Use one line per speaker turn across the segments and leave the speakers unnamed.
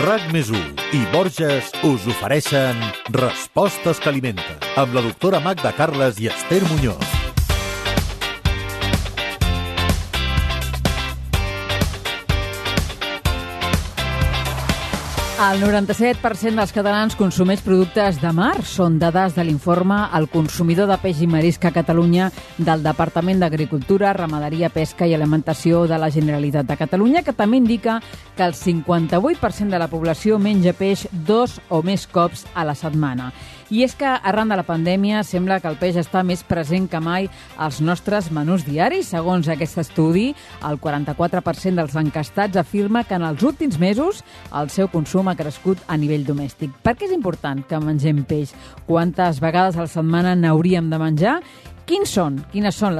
RAC+1 i Borges us ofereixen Respostes que alimenten, amb la doctora Magda Carles i Esther Muñoz.
El 97% dels catalans consumeix productes de mar. Són dades de l'informe El consumidor de peix i marisc a Catalunya del Departament d'Agricultura, Ramaderia, Pesca i Alimentació de la Generalitat de Catalunya, que també indica que el 58% de la població menja peix 2 o més cops a la setmana. I és que arran de la pandèmia sembla que el peix està més present que mai als nostres menús diaris. Segons aquest estudi, el 44% dels encastats afirma que en els últims mesos el seu consum ha crescut a nivell domèstic. Per què és important que mengem peix? Quantes vegades a la setmana n'hauríem de menjar? Quines són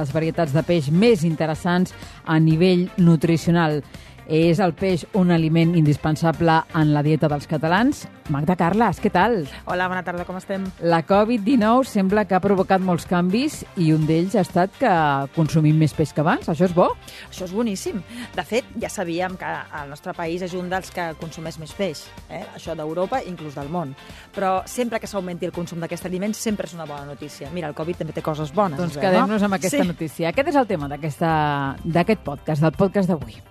les varietats de peix més interessants a nivell nutricional? És el peix un aliment indispensable en la dieta dels catalans? Magda Carles, què tal?
Hola, bona tarda, com estem?
La Covid-19 sembla que ha provocat molts canvis i un d'ells ha estat que consumim més peix que abans. Això és bo?
Això és boníssim. De fet, ja sabíem que el nostre país és un dels que consumeix més peix. Això d'Europa, inclús del món. Però sempre que s'augmenti el consum d'aquest aliment sempre és una bona notícia. Mira, el Covid també té coses bones.
Doncs quedem-nos amb aquesta notícia. Aquest és el tema d'aquest podcast, del podcast d'avui.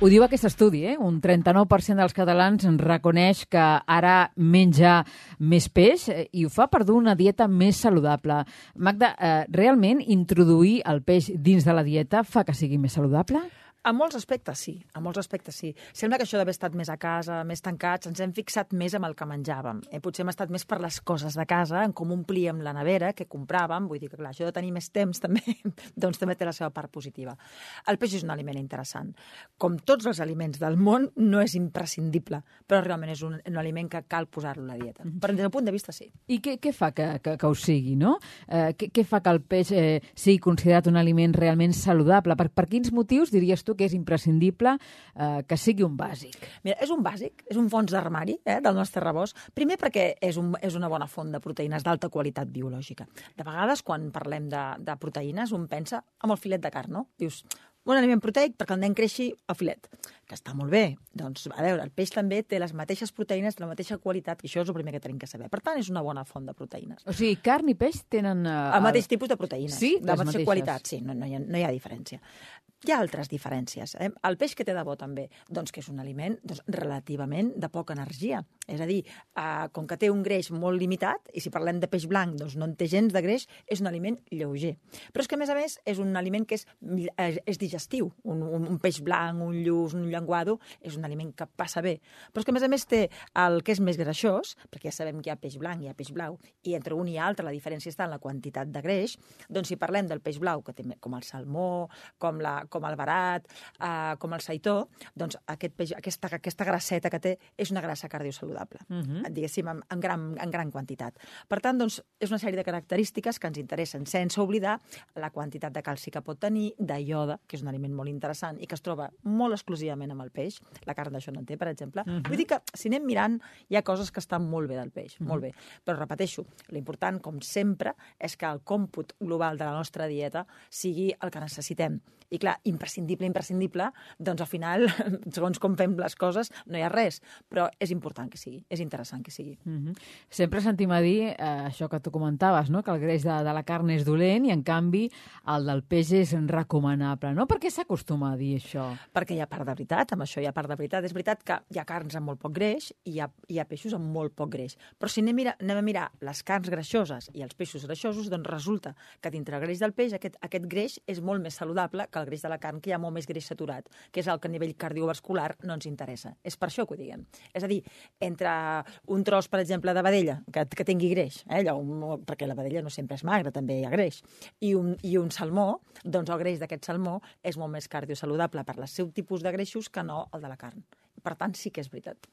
Ho diu aquest estudi, Un 39% dels catalans reconeix que ara menja més peix i ho fa per dur una dieta més saludable. Magda, realment introduir el peix dins de la dieta fa que sigui més saludable?
A molts aspectes sí, Sembla que això d'haver estat més a casa, més tancats, ens hem fixat més en el que menjàvem. Potser hem estat més per les coses de casa, en com omplíem la nevera, què compràvem. Vull dir que, clar, això de tenir més temps també, doncs també té la seva part positiva. El peix és un aliment interessant. Com tots els aliments del món, no és imprescindible, però realment és un aliment que cal posar-lo a la dieta. Però des del punt de vista sí.
I què fa que ho sigui, no? Què fa que el peix sigui considerat un aliment realment saludable? Per quins motius diries tu que és imprescindible que sigui un bàsic?
Mira, és un bàsic, és un fons d'armari del nostre rebost. Primer perquè és una bona font de proteïnes d'alta qualitat biològica. De vegades, quan parlem de proteïnes, un pensa en el filet de carn, no? Dius, un aliment proteic perquè el nen creixi el filet, que està molt bé. Doncs, a veure, el peix també té les mateixes proteïnes de la mateixa qualitat, i això és el primer que tenim que saber. Per tant, és una bona font de proteïnes.
O sigui, carn i peix tenen...
El mateix tipus de proteïnes,
sí,
de la mateixa qualitat. Sí, no hi ha diferència. Hi ha altres diferències. El peix que té de bo també? Doncs que és un aliment relativament de poca energia. És a dir, com que té un greix molt limitat, i si parlem de peix blanc doncs no en té gens de greix, és un aliment lleuger. Però és que, a més, és un aliment que és digestiu. Un peix blanc, un lluç, un llenguado, és un aliment que passa bé. Però és que, a més, té el que és més greixós, perquè ja sabem que hi ha peix blanc i hi ha peix blau, i entre un i altre la diferència està en la quantitat de greix. Doncs si parlem del peix blau, que té com el salmó, com el verat, com el seitó, doncs aquesta grasseta que té és una grassa cardiosaludable, diguéssim, en gran quantitat. Per tant, doncs, és una sèrie de característiques que ens interessen, sense oblidar la quantitat de calci que pot tenir, de iode, que és un aliment molt interessant i que es troba molt exclusivament amb el peix. La carn d'això no en té, per exemple. Vull dir que, si anem mirant, hi ha coses que estan molt bé del peix, molt bé. Però, repeteixo, l'important, com sempre, és que el còmput global de la nostra dieta sigui el que necessitem. I, clar, imprescindible, doncs al final, segons com fem les coses, no hi ha res, però és important que sigui, és interessant que sigui.
Sempre sentim a dir això que tu comentaves, no? Que el greix de la carn és dolent i, en canvi, el del peix és recomanable, no? Per què s'acostuma a dir això?
Perquè hi ha part de veritat, amb això hi ha part de veritat. És veritat que hi ha carns amb molt poc greix i hi ha peixos amb molt poc greix. Però si anem a mirar les carns greixoses i els peixos greixosos, doncs resulta que dintre el greix del peix aquest greix és molt més saludable que el greix de la carn, que hi ha molt més greix saturat, que és el que a nivell cardiovascular no ens interessa. És per això que ho diguem. És a dir, entre un tros, per exemple, de vedella, que tingui greix, perquè la vedella no sempre és magra, també hi ha greix, i un salmó, doncs el greix d'aquest salmó és molt més cardiosaludable per el seu tipus de greixos que no el de la carn. Per tant, sí que és veritat.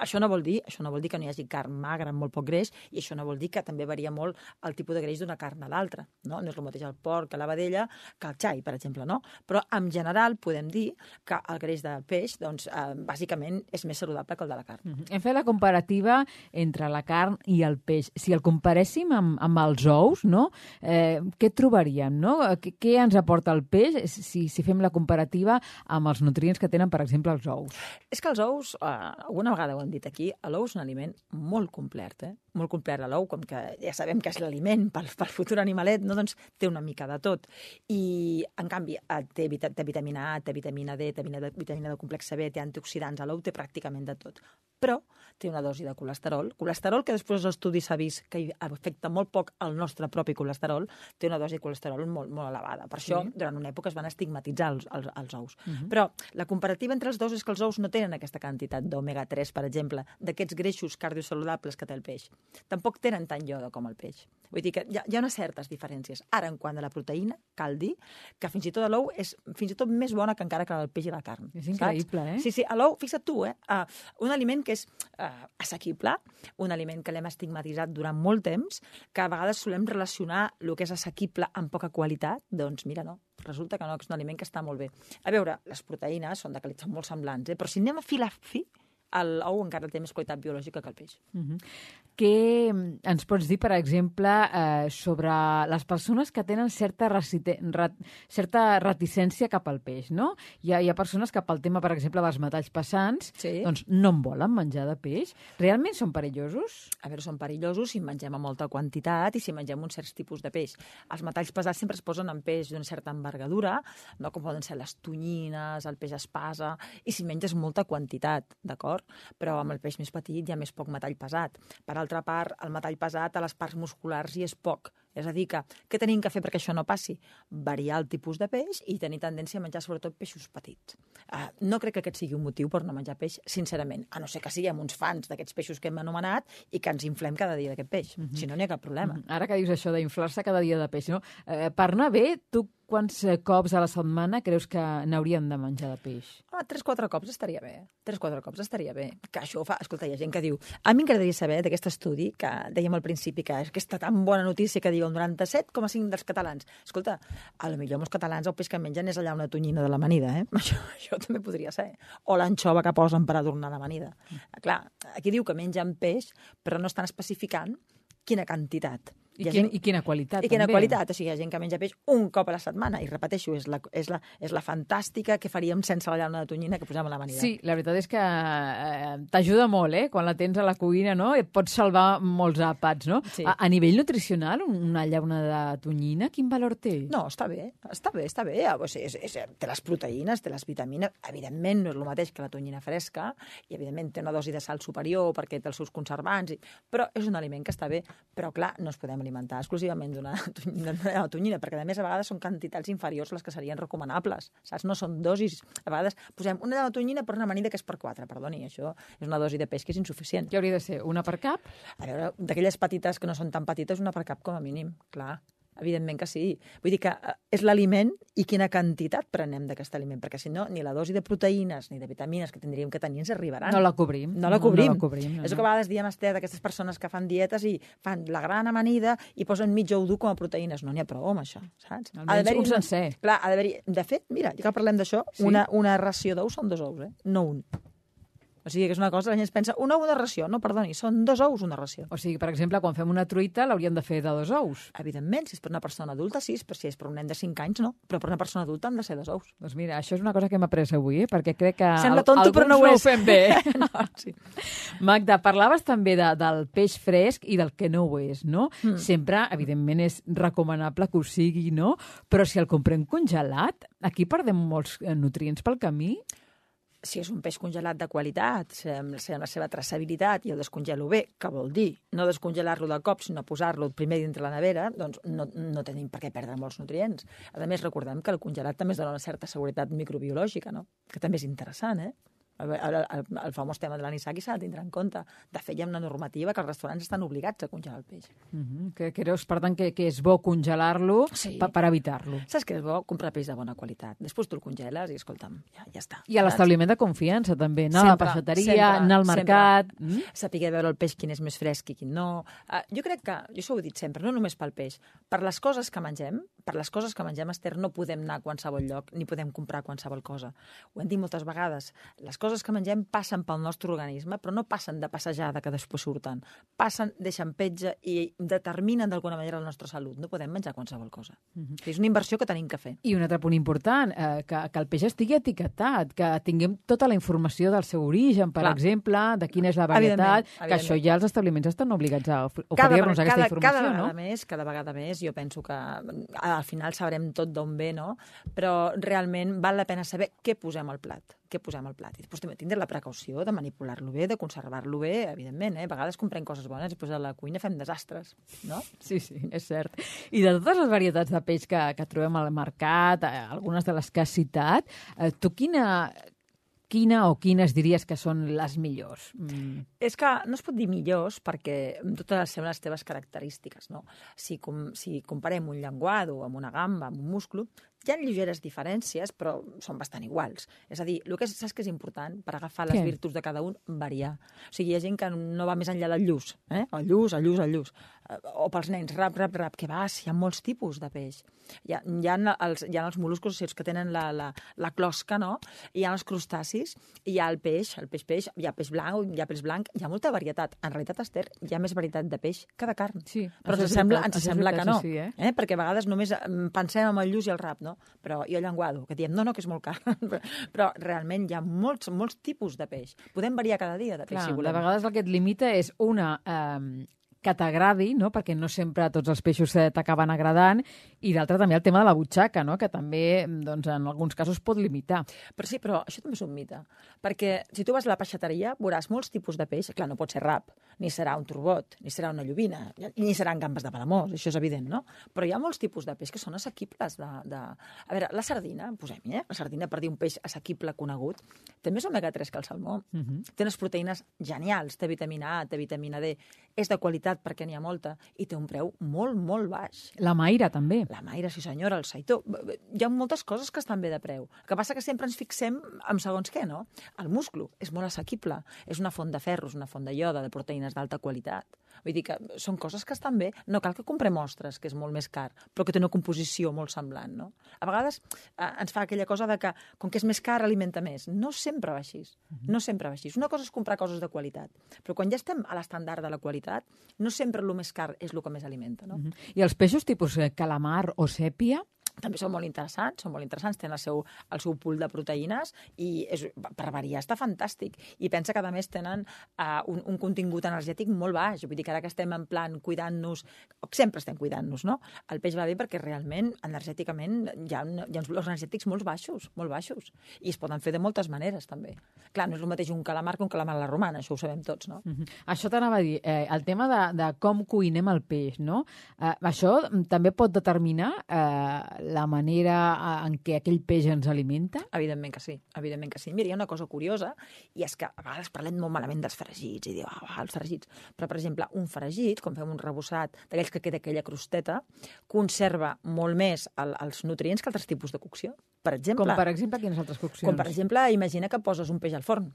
Això no vol dir que no hi hagi carn magra amb molt poc greix, i això no vol dir que també varia molt el tipus de greix d'una carn a l'altra. No és el mateix el porc que la vedella que el xai, per exemple, no? Però en general podem dir que el greix del peix, doncs, bàsicament és més saludable que el de la carn.
Hem fet la comparativa entre la carn i el peix. Si el comparéssim amb els ous, no? Què trobaríem, no? Què ens aporta el peix si fem la comparativa amb els nutrients que tenen, per exemple, els ous?
És que els ous, alguna vegada ho hem dit aquí, l'ou és un aliment molt complet, molt complet. L'ou, com que ja sabem que és l'aliment pel futur animalet, no? Doncs té una mica de tot. I, en canvi, té vitamina A, té vitamina D, té vitamina de complex B, té antioxidants. L'ou té pràcticament de tot. Però té una dosi de colesterol. Colesterol que després dels estudis s'ha vist que afecta molt poc el nostre propi colesterol, té una dosi de colesterol molt, molt elevada. Per això, durant una època es van estigmatitzar els ous. Però la comparativa entre els dos és que els ous no tenen aquesta quantitat d'omega-3, per exemple, d'aquests greixos cardiosaludables que té el peix. Tampoc tenen tant iodo com el peix. Vull dir que hi ha unes certes diferències. Ara, en quant a la proteïna, cal dir que fins i tot l'ou és fins i tot més bona que encara que el peix i la carn.
És increïble,
saps? Sí, l'ou, fixa't tu, un aliment que és assequible, un aliment que l'hem estigmatitzat durant molt temps, que a vegades solem relacionar el que és assequible amb poca qualitat, doncs mira, no. Resulta que no, que és un aliment que està molt bé. A veure, les proteïnes són molt semblants, però si anem a fi a fi, l'ou encara té més qualitat biològica que el peix.
Què ens pots dir, per exemple, sobre les persones que tenen certa reticència cap al peix, no? Hi ha persones que pel tema, per exemple, dels metalls pesants, doncs no en volen menjar de peix. Realment són perillosos?
A veure, són perillosos si en mengem a molta quantitat i si mengem uns certs tipus de peix. Els metalls pesats sempre es posen en peix d'una certa envergadura, no? Com poden ser les tonyines, el peix espasa, i si menges molta quantitat, d'acord? Però amb el peix més petit hi ha més poc metall pesat. Per altra part, el metall pesat a les parts musculars hi és poc. És a dir, que què tenim que fer perquè això no passi? Variar el tipus de peix i tenir tendència a menjar sobretot peixos petits. No crec que aquest sigui un motiu per no menjar peix, sincerament, a no ser que siguem uns fans d'aquests peixos que hem anomenat i que ens inflem cada dia d'aquest peix. Si no, n'hi ha cap problema.
Ara que dius això d'inflar-se cada dia de peix, no? Per anar bé, tu quants cops a la setmana creus que n'hauríem de menjar de peix?
3-4 cops estaria bé. 3-4 cops estaria bé. Que això ho fa... Escolta, hi ha gent que diu... A mi m'agradaria saber d'aquest estudi, que dèiem al principi, que aquesta tan bona notícia que diu el 97,5 dels catalans. Escolta, a lo millor els catalans el peix que mengen és allà una tonyina de l'amanida, Això també podria ser. O l'anxova que posen per adornar l'amanida. Clar, aquí diu que mengen peix, però no estan especificant quina quantitat.
I quina qualitat,
també. I quina qualitat. O sigui, hi ha gent que menja peix un cop a la setmana. I repeteixo, és la fantàstica que faríem sense la llauna de tonyina que posem a l'amanida.
Sí, la veritat és que t'ajuda molt, quan la tens a la cuina, no? Et pots salvar molts àpats, no?
Sí.
A nivell nutricional, una llauna de tonyina, quin valor té?
No, està bé. O sigui, té les proteïnes, té les vitamines. Evidentment, no és el mateix que la tonyina fresca, i evidentment té una dosi de sal superior perquè té els seus conservants, però és un aliment que està bé. Però, clar, no es podem alimentar exclusivament d'una tonyina, perquè a més a vegades són quantitats inferiors a les que serien recomanables, saps? No són dosis. A vegades posem una de tonyina per una amanida que és per 4, perdoni, això és una dosi de peix que és insuficient.
Què hauria de ser? Una per cap?
A veure, d'aquelles petites que no són tan petites, una per cap com a mínim, clar. Evidentment que sí. Vull dir que és l'aliment i quina quantitat prenem d'aquest aliment, perquè si no, ni la dosi de proteïnes ni de vitamines que tindríem que tenir ens arribaran.
No la cobrim.
No la cobrim.
No.
És el que a vegades diem, Esther, d'aquestes persones que fan dietes i fan la gran amanida i posen mig ou dur com a proteïnes. No n'hi ha prou amb això, saps?
Almenys un sencer.
Clar, ha d'haver-hi... De fet, mira, ja que parlem d'això, sí? una ració d'ous són 2 ous, no un. O sigui, que és una cosa, la gent es pensa, un ou una ració. No, perdoni, són 2 ous una ració.
O sigui, per exemple, quan fem una truita l'hauríem de fer de 2 ous.
Evidentment, si és per una persona adulta, sí, però si és per un nen de 5 anys, no. Però per una persona adulta han de ser 2 ous.
Doncs mira, això és una cosa que hem après avui, perquè crec que
sembla tonto, però no ho
fem bé.
No, sí.
Magda, parlaves també del peix fresc i del que no ho és, no? Sempre, evidentment, és recomanable que ho sigui, no? Però si el comprem congelat, aquí perdem molts nutrients pel camí.
Si és un peix congelat de qualitat, amb la seva traçabilitat i el descongelo bé, que vol dir no descongelar-lo de cop, sinó posar-lo primer dintre la nevera, doncs no tenim per què perdre molts nutrients. A més, recordem que el congelat també es dona una certa seguretat microbiològica, no? Que també és interessant, El famós tema de l'anisaki s'ha de tindre en compte. De fet, hi ha una normativa que els restaurants estan obligats a congelar el peix.
Que creus, per tant, que és bo congelar-lo per evitar-lo.
Saps que és bo? Comprar peix de bona qualitat. Després tu el congeles i, escolta'm, ja està.
I a l'establiment de confiança, també. Anar a la peixateria, anar al mercat...
Saber veure el peix quin és més fresc i quin no. Jo crec que, jo això ho he dit sempre, no només pel peix, per les coses que mengem, Esther, no podem anar a qualsevol lloc ni podem comprar qualsevol cosa. Ho hem dit moltes vegades. Les coses que mengem passen pel nostre organisme, però no passen de passejada que després surten. Passen, deixen petja i determinen d'alguna manera la nostra salut. No podem menjar qualsevol cosa. És una inversió que tenim que fer.
I un altre punt important, que el peix estigui etiquetat, que tinguem tota la informació del seu origen, per exemple, de quina és la varietat, que això ja els establiments estan obligats a oferir-nos aquesta informació, no?
Cada vegada més, jo penso que al final sabrem tot d'on ve, no? Però realment val la pena saber què posem al plat. I després també tindre la precaució de manipular-lo bé, de conservar-lo bé, evidentment. A vegades comprem coses bones i després a la cuina fem desastres, no?
Sí, és cert. I de totes les varietats de peix que trobem al mercat, algunes de les que has citat, tu quina o quines diries que són les millors?
És que no es pot dir millors perquè totes les teves característiques, no? Si comparem un llenguado amb una gamba, amb un musclo, hi ha lleugeres diferències, però són bastant iguals. És a dir, saps que és important per agafar les virtuts de cada un? Variar. O sigui, hi ha gent que no va més enllà del lluç. El lluç. O pels nens, rap, que hi ha molts tipus de peix. Hi ha els mol·luscos, que tenen la closca, no? Hi ha els crustacis, hi ha el peix, hi ha peix blanc, hi ha molta varietat. En realitat, Esther, hi ha més varietat de peix que de carn.
Sí,
però ens sembla que no. Perquè a vegades només pensem en el lluç i el rap, no? Però i el llenguado, que diem, no, que és molt car. Però realment hi ha molts tipus de peix. Podem variar cada dia de peix, si volem.
De vegades el que et limita és que t'agradi, no? Perquè no sempre tots els peixos t'acaben agradant, i d'altre també el tema de la butxaca, no? Que també, doncs, en alguns casos pot limitar.
Però això també és un mite, perquè si tu vas a la peixateria veuràs molts tipus de peix. Clar, no pot ser rap, ni serà un turbot, ni serà una llobina, ni seran gambes de Palamós, això és evident, no? Però hi ha molts tipus de peix que són assequibles. A veure, la sardina, posem-hi, la sardina, per dir un peix assequible conegut, té més omega-3 que el salmó. Té unes proteïnes genials, té vitamina A, té vitamina D, és de qualitat perquè n'hi ha molta, i té un preu molt, molt baix.
La maira, també.
La maira, sí senyora, el saitó. Hi ha moltes coses que estan bé de preu. El que passa que sempre ens fixem en segons què, no? El musclo és molt assequible. És una font de ferros, una font de ioda, de proteïnes d'alta qualitat. Vull dir que són coses que estan bé. No cal que comprem ostres, que és molt més car, però que té una composició molt semblant, no? A vegades ens fa aquella cosa de que, com que és més car, alimenta més. No sempre va així. No sempre va així. Una cosa és comprar coses de qualitat, però quan ja estem a l'estàndard de la qualitat, no sempre el més car és el que més alimenta, no?
I els peixos tipus calamar o sèpia?
També són molt interessants, tenen el seu pool de proteïnes i per variar està fantàstic. I pensa que, a més, tenen un contingut energètic molt baix. Vull dir que ara que estem en plan cuidant-nos, sempre estem cuidant-nos, no? El peix va bé perquè realment, energèticament, hi ha uns valors energètics molt baixos. I es poden fer de moltes maneres, també. Clar, no és el mateix un calamar que un calamar a la romana, això ho sabem tots, no?
Això t'anava a dir, el tema de com cuinem el peix, no? Això també pot determinar la manera en què aquell peix ens alimenta?
Evidentment que sí. Mira, hi ha una cosa curiosa, i és que a vegades parlem molt malament dels fregits, i diu, els fregits. Però, per exemple, un fregit, quan fem un rebossat d'aquells que queda aquella crosteta, conserva molt més els nutrients que altres tipus de cocció. Per exemple...
Com, per exemple, quines altres coccions?
Com, per exemple, imagina que poses un peix al forn,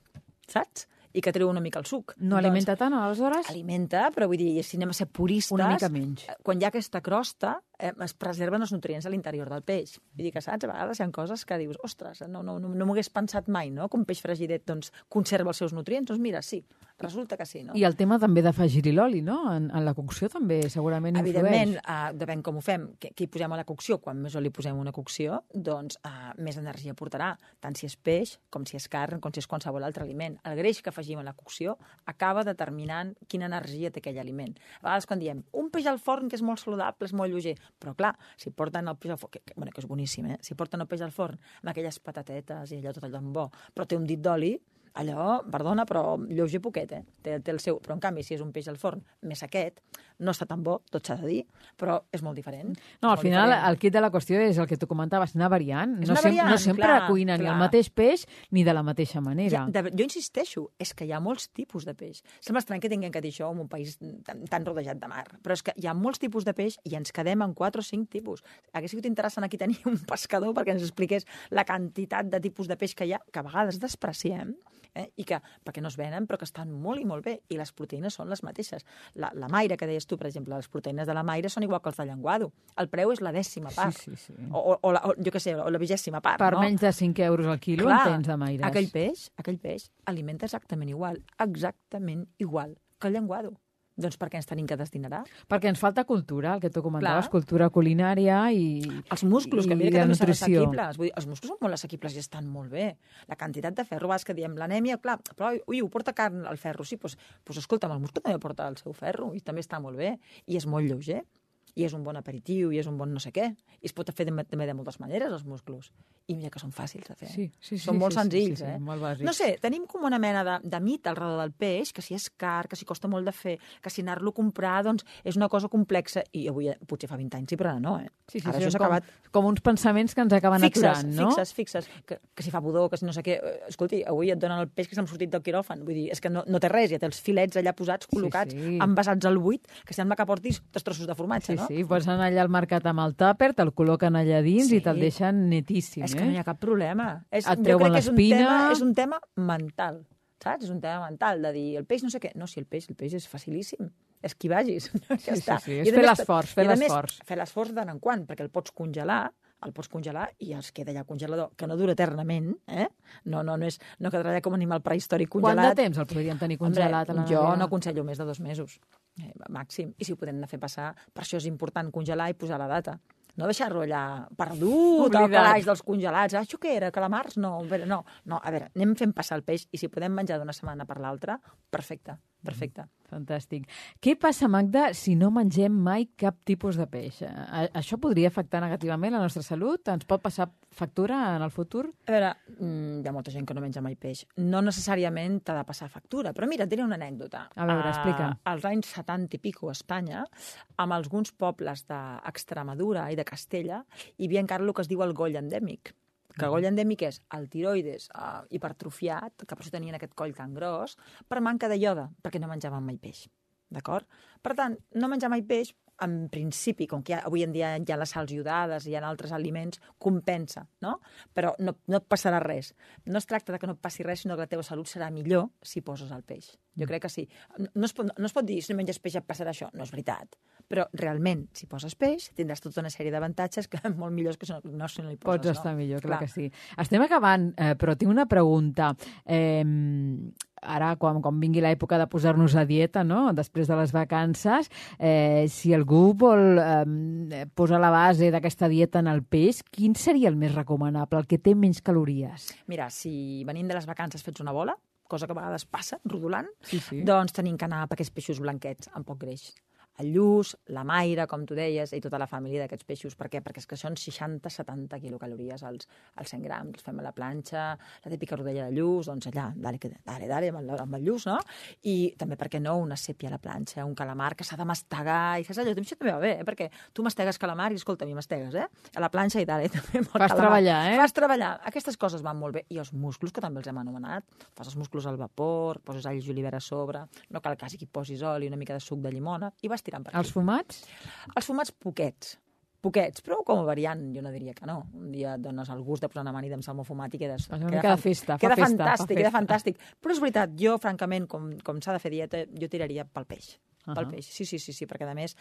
saps? I que treu una mica el suc.
No alimenta tant, aleshores?
Alimenta, però vull dir, si anem a ser puristes...
Una mica menys.
Quan hi ha aquesta crosta, es preserven els nutrients a l'interior del peix. Vull dir que, saps, a vegades hi ha coses que dius, ostres, no m'ho hagués pensat mai, no?, que un peix fregidet doncs, conserva els seus nutrients. Doncs mira, sí, resulta que sí, no?
I el tema també d'afegir-hi l'oli, no?, en la cocció també segurament influeix.
Evidentment, depèn com ho fem, què hi posem a la cocció. Quan més oli posem a una cocció, doncs més energia portarà, tant si és peix, com si és carn, com si és qualsevol altre aliment. El greix que afegim a la cocció acaba determinant quina energia té aquell aliment. A vegades quan diem, un peix al forn que és molt saludable, és molt lleuger, però clar, si porten el peix al forn, que és boníssim, si porten el peix al forn amb aquelles patatetes i allò tot allò bo, però té un dit d'oli, allò, perdona, però lleuger poquet, té el seu. Però en canvi, si és un peix al forn més sequet, no està tan bo, tot s'ha de dir, però és molt diferent.
No, al final el kit de la qüestió és el que tu comentaves, anar variant. No sempre cuina ni el mateix peix ni de la mateixa manera.
Jo insisteixo, és que hi ha molts tipus de peix. Sembla estrany que tinguem que dir això en un país tan rodejat de mar, però és que hi ha molts tipus de peix i ens quedem en 4 o 5 tipus. Hauria sigut interessant aquí tenir un pescador perquè ens expliqués la quantitat de tipus de peix que hi ha, que a vegades despreciem, i que, perquè no es venen, però que estan molt i molt bé, i les proteïnes són les mateixes. La maire, que deies tu, per exemple, les proteïnes de la maire són igual que els de llenguado. El preu és la 10ª part.
Sí.
O jo què sé, o la 20ª part.
Per menys de 5 euros al quilo, clar, en tens de maires.
Aquell peix alimenta exactament igual que el llenguado. Doncs per què ens tenim que destinar?
Perquè ens falta cultura, el que tu comentaves, cultura culinària i
els musclos, que mira que també són assequibles. Vull dir, els musclos són molt assequibles i estan molt bé. La quantitat de ferro, que diem l'anèmia, clar, però ho porta carn al ferro, sí, doncs escolta'm, el musclo també porta el seu ferro i també està molt bé i és molt lleuger. I és un bon aperitiu, i és un bon no sé què. I es pot fer també de moltes maneres, els musclos. I mira que són fàcils de fer. Són molt senzills,
molt bàsics.
No sé, tenim com una mena de mit al redor del peix, que si és car, que si costa molt de fer, que si anar-lo a comprar, doncs, és una cosa complexa. I avui, potser fa 20 anys, sí, però ara no,
Ara això s'ha acabat. Com uns pensaments que ens acaben aturant, no?
Fixes, que si fa pudor, que si no sé què. Escolti, avui et donen el peix que s'ha sortit del quiròfan. Vull dir, és que no té res, ja té els filets allà posats, col·locats, envasats al buit, que sembla que portis 3 trossos de formatge, no?
Sí, posen allà al mercat amb el tàper, te'l col·loquen allà dins i te'l deixen netíssim.
És que no hi ha cap problema.
Et treuen l'espina.
És un tema mental, saps? És un tema mental de dir, el peix no sé què. No, si el peix és facilíssim. És qui vagis. Ja està.
És fer l'esforç.
Fer l'esforç de tant en quant, perquè el pots congelar i es queda allà al congelador, que no dura eternament, No quedarà allà com animal prehistòric congelat.
Quant de temps el podríem tenir congelat a la nevera?
Jo no aconsello més de 2 mesos, màxim. I si ho podem anar a fer passar, per això és important congelar i posar la data. No deixar-lo allà perdut, al calaix dels congelats. Això què era? Calamars? No, a veure, anem fent passar el peix i si podem menjar d'una setmana per l'altra, perfecte.
Fantàstic. Què passa, Magda, si no mengem mai cap tipus de peix? Això podria afectar negativament la nostra salut? Ens pot passar factura en el futur?
A veure, hi ha molta gent que no menja mai peix. No necessàriament t'ha de passar factura, però mira, et diré una anècdota.
A veure, explica.
Als anys 70 i pico a Espanya, amb alguns pobles d'Extremadura i de Castella, hi havia encara el que es diu el goll endèmic. Que el goll endèmic és el tiroides hipertrofiat, que per això tenien aquest coll tan gros, per manca de ioda, perquè no menjaven mai peix. D'acord? Per tant, no menjar mai peix, en principi, com que avui en dia hi ha les sals iodades i hi ha altres aliments, compensa, no? Però no et passarà res. No es tracta de que no et passi res, sinó que la teva salut serà millor si poses el peix. Jo crec que sí. No es pot dir, si no menges peix et passarà això. No és veritat. Però realment, si poses peix, tindràs tota una sèrie d'avantatges que molt millors que si no hi poses.
Pots estar millor, clar que sí. Estem acabant, però tinc una pregunta. Ara, quan vingui l'època de posar-nos a dieta, no?, després de les vacances, si algú vol posar la base d'aquesta dieta en el peix, quin seria el més recomanable, el que té menys calories?
Mira, si venim de les vacances fets una bola, cosa que a vegades passa, rodolant, doncs tenim que anar per aquests peixos blanquets amb poc greix. El lluç, la maire, com tu deies, i tota la família d'aquests peixos. Per què? Perquè és que són 60-70 quilocalories als 100 grams. Els fem a la planxa, la típica rodella de lluç, doncs allà, dale, amb el lluç, no? I també, per què no, una sèpia a la planxa, un calamar que s'ha de mastegar, i saps allò? Això també va bé, perquè tu mastegues calamar i, escolta, a mi mastegues, a la planxa i dale, també.
Fas treballar,
Fas treballar. Aquestes coses van molt bé. I els musclos, que també els hem anomenat. Fas els musclos al vapor, poses all i julivera a sobre, no cal quasi que hi posis oli, una mica de suc de llimona, i vas tirant per aquí.
Els fumats?
Els fumats poquets, però com a variant jo no diria que no. Un dia et dones el gust de posar una amanida amb salmó fumat i queda fantàstic. Però és veritat, jo francament, com s'ha de fer dieta, jo tiraria pel peix. Pel peix, sí, perquè a més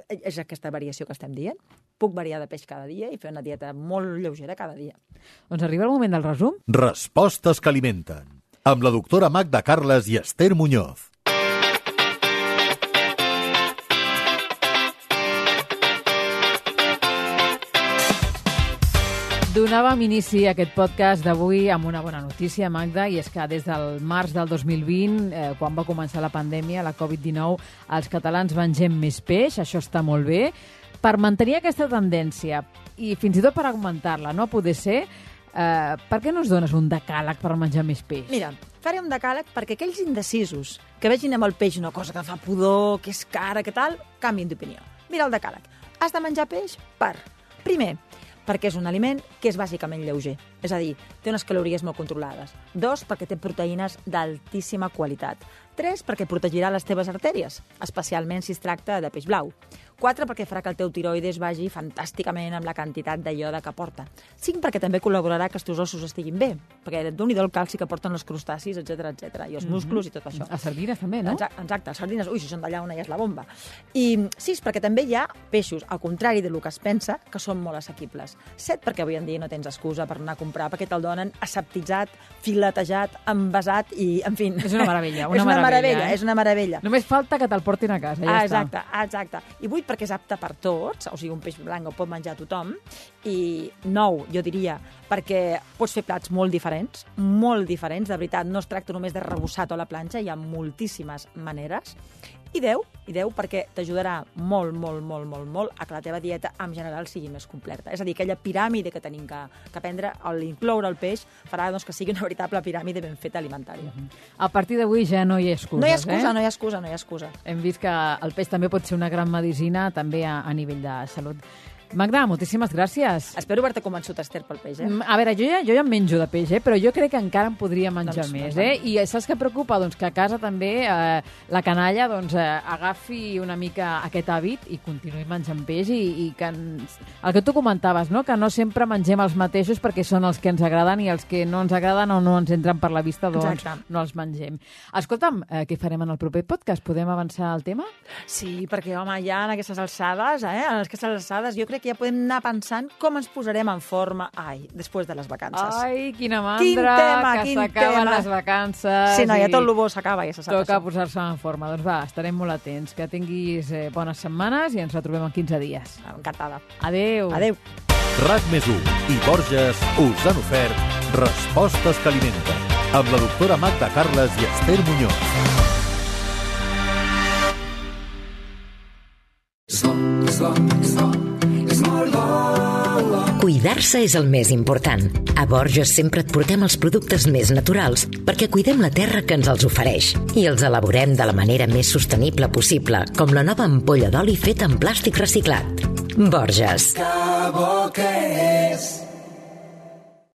és aquesta variació que estem dient. Puc variar de peix cada dia i fer una dieta molt lleugera cada dia.
Doncs arriba el moment del resum.
Respostes que alimenten. Amb la doctora Magda Carles i Esther Muñoz.
Donàvem inici a aquest podcast d'avui amb una bona notícia, Magda, i és que des del març del 2020, quan va començar la pandèmia, la Covid-19, els catalans mengem més peix, això està molt bé. Per mantenir aquesta tendència i fins i tot per augmentar-la, no poder ser, per què no ens dones un decàleg per menjar més peix?
Mira, faré un decàleg perquè aquells indecisos que vegin amb el peix una cosa que fa pudor, que és cara, que tal, canvien d'opinió. Mira el decàleg. Has de menjar peix primer, perquè és un aliment que és bàsicament lleuger. És a dir, té unes calories molt controlades. 2, perquè té proteïnes d'altíssima qualitat. 3, perquè protegirà les teves artèries, especialment si es tracta de peix blau. 4, perquè farà que el teu tiroides vagi fantàsticament amb la quantitat de iode que porta. 5, perquè també col·laborarà que els teus ossos estiguin bé, perquè Déu-n'hi-do el calci que porten els crustacis, etc i els músculs i tot això.
A sardines també, no?
Exacte, les sardines, si són d'allà on ja és la bomba. I 6, perquè també hi ha peixos, al contrari del que es pensa, que són molt assequibles. 7, perquè avui en dia no tens excusa per anar a comprar, perquè te'l donen aseptitzat, filetejat, envasat i, en fi...
És una meravella,
És una meravella.
Només falta que te'l portin a casa, ja
està. Exacte. I 8, perquè és apte per tots, o sigui, un peix blanc el pot menjar tothom, i 9, jo diria, perquè pots fer plats molt diferents, de veritat, no es tracta només de rebossat o a la planxa, hi ha moltíssimes maneres, i 10, perquè t'ajudarà molt a que la teva dieta en general sigui més completa. És a dir, aquella piràmide que tenim que prendre, l'incloure el peix, farà que sigui una veritable piràmide ben feta alimentària.
A partir d'avui ja no hi ha excuses,
No hi ha excusa.
Hem vist que el peix també pot ser una gran medicina, també a nivell de salut. Magda, moltíssimes gràcies.
Espero haver-te convençut, Esther, pel peix,
A veure, jo ja en menjo de peix, però jo crec que encara en podria menjar més, I saps què preocupa? Doncs que a casa també la canalla agafi una mica aquest hàbit i continuï menjant peix i que el que tu comentaves, no? Que no sempre mengem els mateixos perquè són els que ens agraden i els que no ens agraden o no ens entren per la vista, doncs no els mengem. Escolta'm, què farem en el proper podcast? Podem avançar el tema?
Sí, perquè, home, ja en aquestes alçades, jo crec que ja podem anar pensant com ens posarem en forma, després de les vacances.
Ai, quina mandra, que s'acaben les vacances.
Sí, ja tot el bo s'acaba, ja se sap.
Toca posar-se en forma. Doncs va, estarem molt atents. Que tinguis bones setmanes i ens retrobem en 15 dies.
Encantada.
Adéu.
RAC+1 i Borges us han ofert Respostes que alimenten, amb la doctora Magda Carles i Esther Muñoz.
Cuidar-se és el més important. A Borges sempre et portem els productes més naturals perquè cuidem la terra que ens els ofereix i els elaborem de la manera més sostenible possible, com la nova ampolla d'oli feta en plàstic reciclat. Borges.
Que bo que és!